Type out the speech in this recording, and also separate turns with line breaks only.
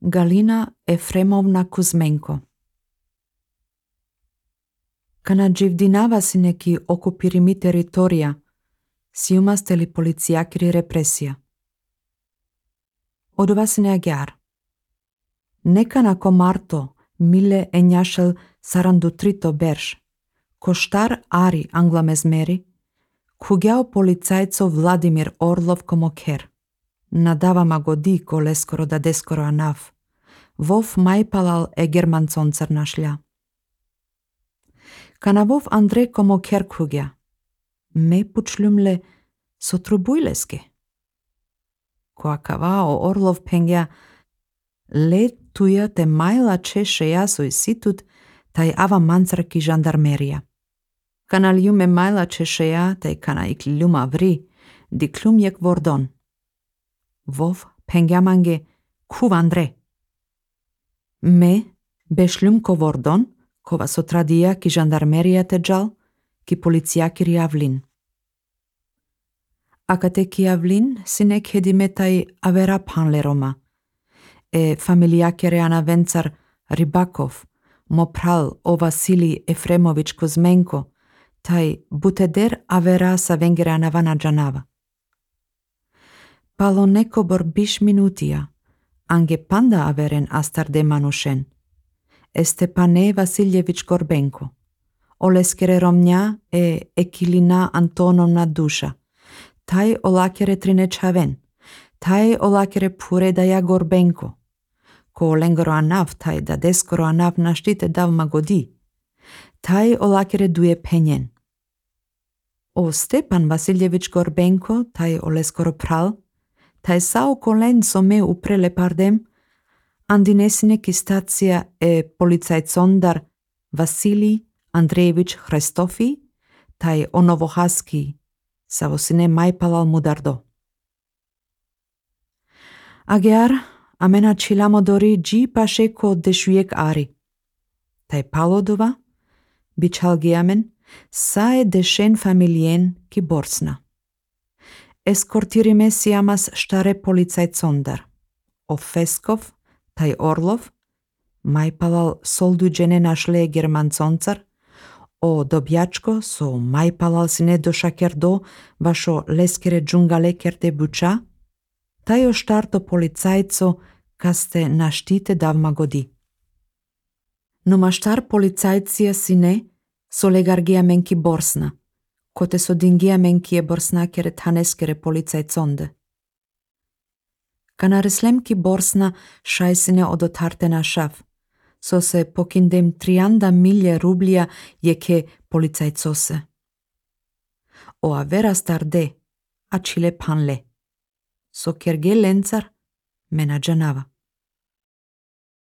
Galina Efremovna Kuzmenko. Kana dživdinava si neki okupirimi teritorija, si umasteli policijakiri represija. Odova si neagyár. Nekana komarto mille enyašel sarandu trito berš, koštar ari angla mezmeri, kugjao policajco Vladimir Orlov komoker. Nadava magodi koleskoro da deskoro anaf, vov majpalal e germancon crnašlja. Kana vov Andrej komoker kugja, me pučljumle sotrubujleske. Koakavao Orlov pengja, le tuja te majla češeja soj situt, taj ava mancraki žandarmerija. Kana ljume majla češeja, taj kana ikljuma vri, di kljumjek vordon. Vov pengjamange kuv Andre. Me bešljumko vordon, kova sotradija ki žandarmerija teđal, ki policijakir javlin. Akate ki javlin sinek hedimetaj avera panleroma, e familijakere ana vencar Ribakov, mopral o Vasili Efremović Kuzmenko, taj buteder avera sa vengere anavana džanava. Palo nekobor biš minutija, ange panda averen astarde manušen. Estepane Vasiljević Gorbenko, oleskere Romnja e Ekilina Antonovna Duša, taj olakere Trinečaven, taj olakere Puredaja Gorbenko, ko lengoro anav taj da deskoro anav naštite dav magodi, taj olakere duje penjen. O Stepan Vasiljević Gorbenko, taj oleskoro pral, taj sao kolen some uprele pardem, andinesine ki stacija e policajcondar Vasilij Andrejević Hrestofi, taj onovohaski, savosine majpalal mudardo. Agyár, amena čilamodori dži paše ko dešujek ari. Taj palodova, bičalgiamen, sae dešen familien ki borsna. Eskortirime siamas štare policajcondar. O Feskov, taj Orlov, majpalal solduđene našle germanconcar, o Dobjačko so majpalal sine došaker do vašo leskere džungale kerte buča, taj o štarto policajco kaste naštite davma godi. No maštar policajcija sine so legargija menki borsna, kote so dingija menki je borsnakere taneskere policajconde. Kana reslemki borsna šajsine odotarte na šaf, so se pokindem 30 milje rublija jeke policajcose. O avera starde, a čile panle. So kerge lencar mena džanava.